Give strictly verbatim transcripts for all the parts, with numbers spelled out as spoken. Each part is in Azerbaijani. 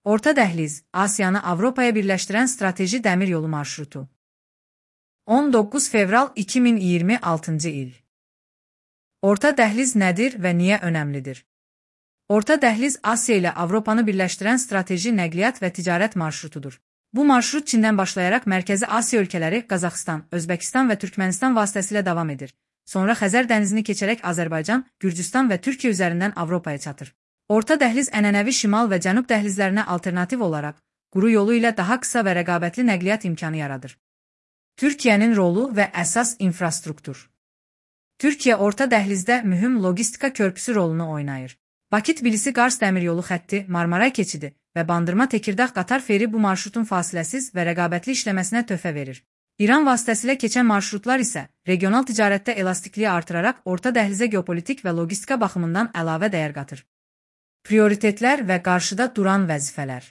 Orta Dəhliz, Asiyanı Avropaya birləşdirən strateji dəmir yolu marşrutu. on doqquz fevral iki min iyirmi altıncı il. Orta dəhliz nədir və niyə önəmlidir? Orta dəhliz Asiya ilə Avropanı birləşdirən strateji nəqliyyat və ticarət marşrutudur. Bu marşrut Çindən başlayaraq Mərkəzi Asiya ölkələri Qazaxıstan, Özbəkistan və Türkmənistan vasitəsilə davam edir. Sonra Xəzər dənizini keçərək Azərbaycan, Gürcüstan və Türkiyə üzərindən Avropaya çatır. Orta dəhliz ənənəvi şimal və cənub dəhlizlərinə alternativ olaraq, quru yolu ilə daha qısa və rəqabətli nəqliyyat imkanı yaradır. Türkiyənin rolu və əsas infrastruktur. Türkiyə orta dəhlizdə mühüm logistika körpüsü rolunu oynayır. Bakı-Tbilisi-Qars dəmiryolu xətti, Marmaray keçidi və Bandırma-Tekirdağ-Qatar feri bu marşrutun fasiləsiz və rəqabətli işləməsinə töhfə verir. İran vasitəsilə keçən marşrutlar isə regional ticarətdə elastikliyi artıraraq orta dəhlizə geopolitik və logistika baxımından əlavə dəyər qatır. Prioritetlər və qarşıda duran vəzifələr.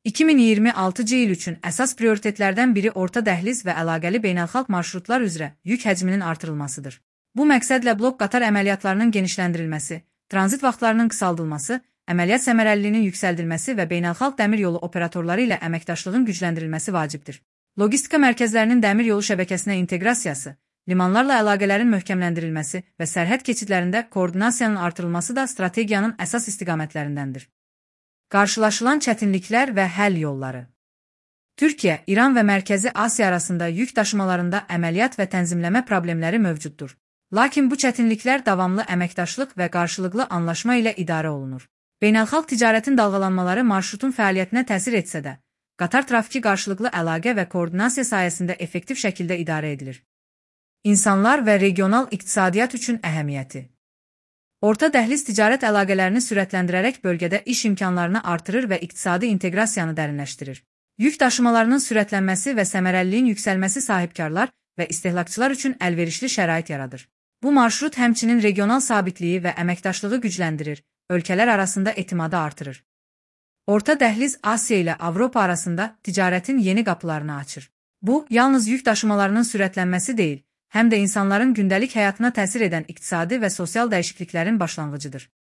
iki min iyirmi altıncı il üçün əsas prioritetlərdən biri orta dəhliz və əlaqəli beynəlxalq marşrutlar üzrə yük həcminin artırılmasıdır. Bu məqsədlə blok qatar əməliyyatlarının genişləndirilməsi, tranzit vaxtlarının qısaldılması, əməliyyat səmərəliliyinin yüksəldilməsi və beynəlxalq dəmir yolu operatorları ilə əməkdaşlığın gücləndirilməsi vacibdir. Logistika mərkəzlərinin dəmir yolu şəbəkəsinə inteqrasiyası, limanlarla əlaqələrin möhkəmləndirilməsi və sərhəd keçidlərində koordinasiyanın artırılması da strategiyanın əsas istiqamətlərindəndir. Qarşılaşılan çətinliklər və həll yolları. Türkiyə, İran və Mərkəzi Asiya arasında yük daşımalarında əməliyyat və tənzimləmə problemləri mövcuddur. Lakin bu çətinliklər davamlı əməkdaşlıq və qarşılıqlı anlaşma ilə idarə olunur. Beynəlxalq ticarətin dalğalanmaları marşrutun fəaliyyətinə təsir etsə də, qatar trafiki qarşılıqlı əlaqə və koordinasiya sayəsində effektiv şəkildə idarə edilir. İnsanlar və regional iqtisadiyyat üçün əhəmiyyəti. Orta dəhliz ticarət əlaqələrini sürətləndirərək bölgədə iş imkanlarını artırır və iqtisadi inteqrasiyanı dərinləşdirir. Yük daşımalarının sürətlənməsi və səmərəliliyin yüksəlməsi sahibkarlar və istehlakçılar üçün əlverişli şərait yaradır. Bu marşrut həmçinin regional sabitliyi və əməkdaşlığı gücləndirir, ölkələr arasında etimadı artırır. Orta dəhliz Asiya ilə Avropa arasında ticarətin yeni qapılarını açır. Bu, yalnız yük daşımalarının sürətlənməsi deyil, həm də insanların gündəlik həyatına təsir edən iqtisadi və sosial dəyişikliklərin başlanğıcıdır.